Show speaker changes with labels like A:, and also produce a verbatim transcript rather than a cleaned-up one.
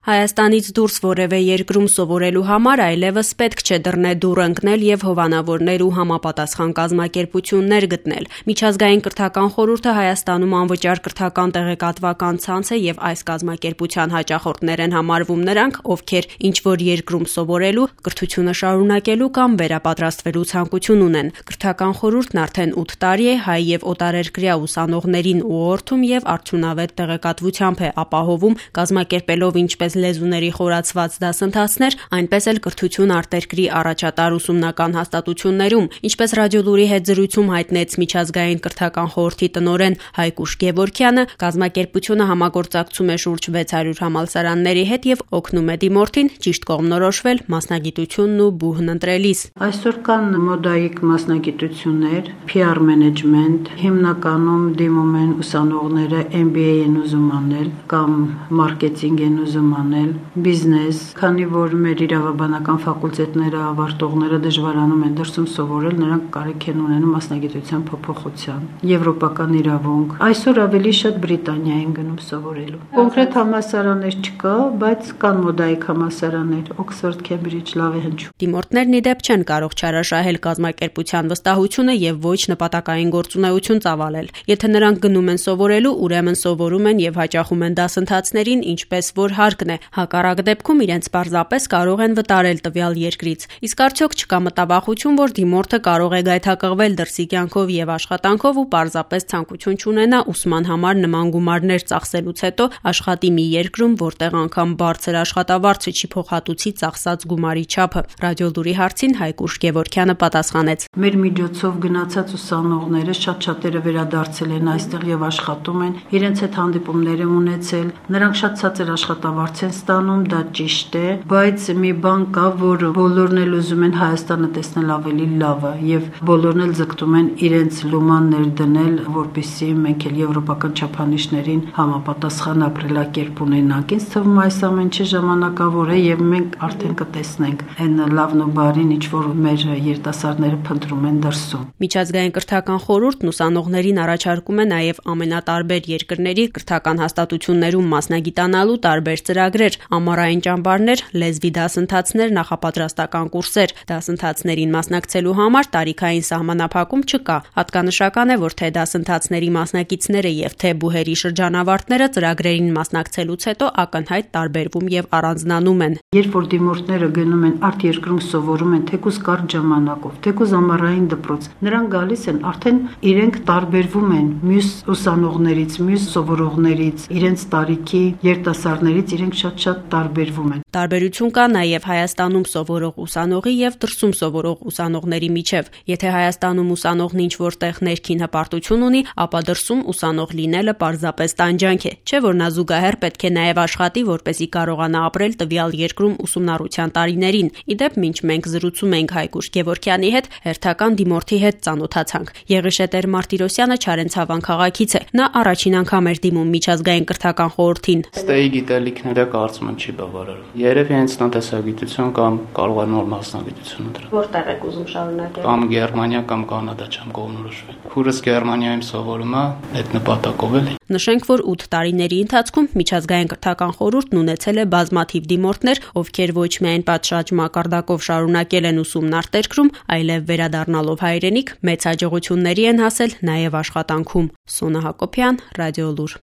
A: Հայաստանից դուրս որևէ երկրում սովորելու համար այլևս պետք չէ դռնե դուռ ընկնել եւ հովանավորներ ու համապատասխան կազմակերպություններ գտնել։ Միջազգային կրթական խորհուրդը Հայաստանում անվճար կրթական տեղեկատվական ցանց է եւ այս կազմակերպության հաճախորդներ են համարվում նրանք, ովքեր ինչ-որ երկրում սովորելու, կրթությունը շարունակելու կամ վերապատրաստվելու ցանկություն ունեն։ Կրթական խորհուրդն արդեն ութ տարի է հայ եւ օտարերկրյա ուսանողներին ուղղորդում եւ արդյունավետ տեղեկատվությամբ է ապահովում, կազմակերպելով ինչպես լեզուների խորացված դասընթացներ, այնպես էլ կրթություն արտերկրի առաջատար ուսումնական հաստատություններում, ինչպես Ռադիոլուրի հետ զրույցում հայտնեց միջազգային կրթական խորհրդի տնօրեն Հայկուշ Գևորգյանը, կազմակերպությունը համագործակցում է շուրջ վեց հարյուր համալսարանների հետ եւ օգնում է դիմորդին ճիշտ կողմնորոշվել մասնագիտությունն ու բուհն ընտրելիս։
B: Այսօր կան մոդայիկ մասնագիտություններ, P R management, հիմնականում դիմում են ուսանողները M B A են ուզում անել կամ մարքեթինգ են ուզում անել, բիզնես, քանի որ մեր իրավաբանական ֆակուլտետները ավարտողները դժվարանում են դրսում սովորել, նրանք կարիք են ունենում մասնագիտության փոփոխության, եվրոպական իրավունք։ Այսօր ավելի շատ Բրիտանիա են գնում սովորելու։ Կոնկրետ համալսարաններ չկա, բայց կան մոդայիկ համալսարաններ, Օքսֆորդ, Քեմբրիջ, լավ է հնչում։
A: Դիմորդներն ի դեպ չեն կարող չարաշահել կազմակերպության վստահությունը եւ ոչ նպատակային գործունեություն ծավալել։ Եթե նրանք գնում են սովորելու, ուրեմն սովորում են եւ հաճախում են դասընթացներին, ինչպես որ հարկն է։ Հակառակ դեպքում իրենց պարզապես կարող են վտարել տվյալ երկրից։ Իսկ արդյոք չկա մտավախություն, որ դիմորդը կարող է գայթակղվել դրսի կյանքով եւ աշխատանքով ու պարզապես ցանկություն չունենա ուսման համար նման գումարներ ծախսելուց հետո աշխատի մի երկրում, որտեղ անգամ բարձր աշխատավարձը չի փոխհատուցի ծախսած գումարի չափը։ Ռադիոլուրի հարցին Հայկուշ Գևորգյանը պատասխանեց.
B: Մեր միջոցով գնացած ուսանողները շատ-շատերը վերադարձել են այստեղ եւ աշխատում են, իրենց հետ հանդիպումներ են ունեցել, նրանք շատ ցածր աշխատավարձ են ստանում, դա ճիշտ է, բայց մի բան կա, որ բոլորն էլ ուզում են Հայաստանը տեսնել ավելի լավը եւ բոլորն էլ ձգտում են իրենց լուման ներդնել, որպեսզի մենք էլ եվրոպական չափանիշներին համապատասխան ապրելակերպ ունենանք։ Ինձ թվում այս ամենը ժամանակավոր է եւ մենք արդեն կտեսնենք այն լավն ու բարին, ինչ որ մեր երիտասարդները փնտրում են դրսում։
A: Միջազգային կրթական խորհուրդն ուսանողներին առաջարկում է նաեւ ամենատարբեր երկրների կրթական հաստատություններում մասնագիտանալու տարբեր ծրագրեր, ամառային ճամբարներ, լեզվի դասընթացներ, նախապատրաստական կուրսեր։ Դասընթացներին մասնակցելու համար տարիքային սահմանափակում չկա։ Հատկանշական է, որ թե դասընթացների մասնակիցները եւ թե բուհերի շրջանավարտները ծրագրերին մասնակցելուց հետո ակնհայտ տարբերվում եւ առանձնանում են։
B: Երբ որ դիմորդները գնում են արտերկրում սովորում են, թեկուզ կարճ ժամանակով, թեկուզ ամառային դպրոց, նրանք գալիս են արդեն իրենք տարբերվում են մյուս ուսանողներից, մյուս սովորողներից, իրենց տարիքի երիտասարդներից իրենք շատ-շատ տարբերվում են։
A: Տարբերություն կա նաև Հայաստանում սովորող ուսանողի եւ դրսում սովորող ուսանողների միջև։ Եթե Հայաստանում ուսանողն ինչ-որտեղ ներքին հպարտություն ունի, ապա դրսում ուսանող լինելը պարզապես տանջանք է, չէ՞ որ նա զուգահեռ պետք է նաև աշխատի, որպեսզի կարողանա ապրել տվյալ երկրում ուսումնառության տարիներին։ Իդեպ, մինչ մենք զրուցում ենք Հայկուշ Գևորգյանի հետ, հերթական դիմորդի հետ ծանոթացանք։ Եղիշետեր Մարտիրոսյանը Չարենցավան քաղաքից է։ Նա առաջին անգամ էր դիմում միջազգային կրթական խորհրդին։
C: Ստեի գիտելիքները կարծում եմ չի բավարարում։ Երևի հենց տնտեսագիտություն կամ կարող է նոր մասնագիտություն ընտրել։
A: Որտեղ եք ուզում շարունակել։
C: Կամ Գերմանիա կամ Կանադա չեմ կողմնորոշվել։ Քուրս Գերմանիայում սովորում է, այդ նպատակով էլ։
A: Նշենք, որ ութ տարիների ընթացքում միջազգային կրթական խորհուրդն ունեցել է բազմաթիվ դիմորդներ, ովքեր ոչ միայն պատշաճ մակարդակով շարունակել են ուսումն արտերկրում, այլև վերադառնալով հայրենիք մեծ հաջողությունների են հասել նաև աշխատանքում։ Սոնա Հակոբյան, Ռադիոլուր։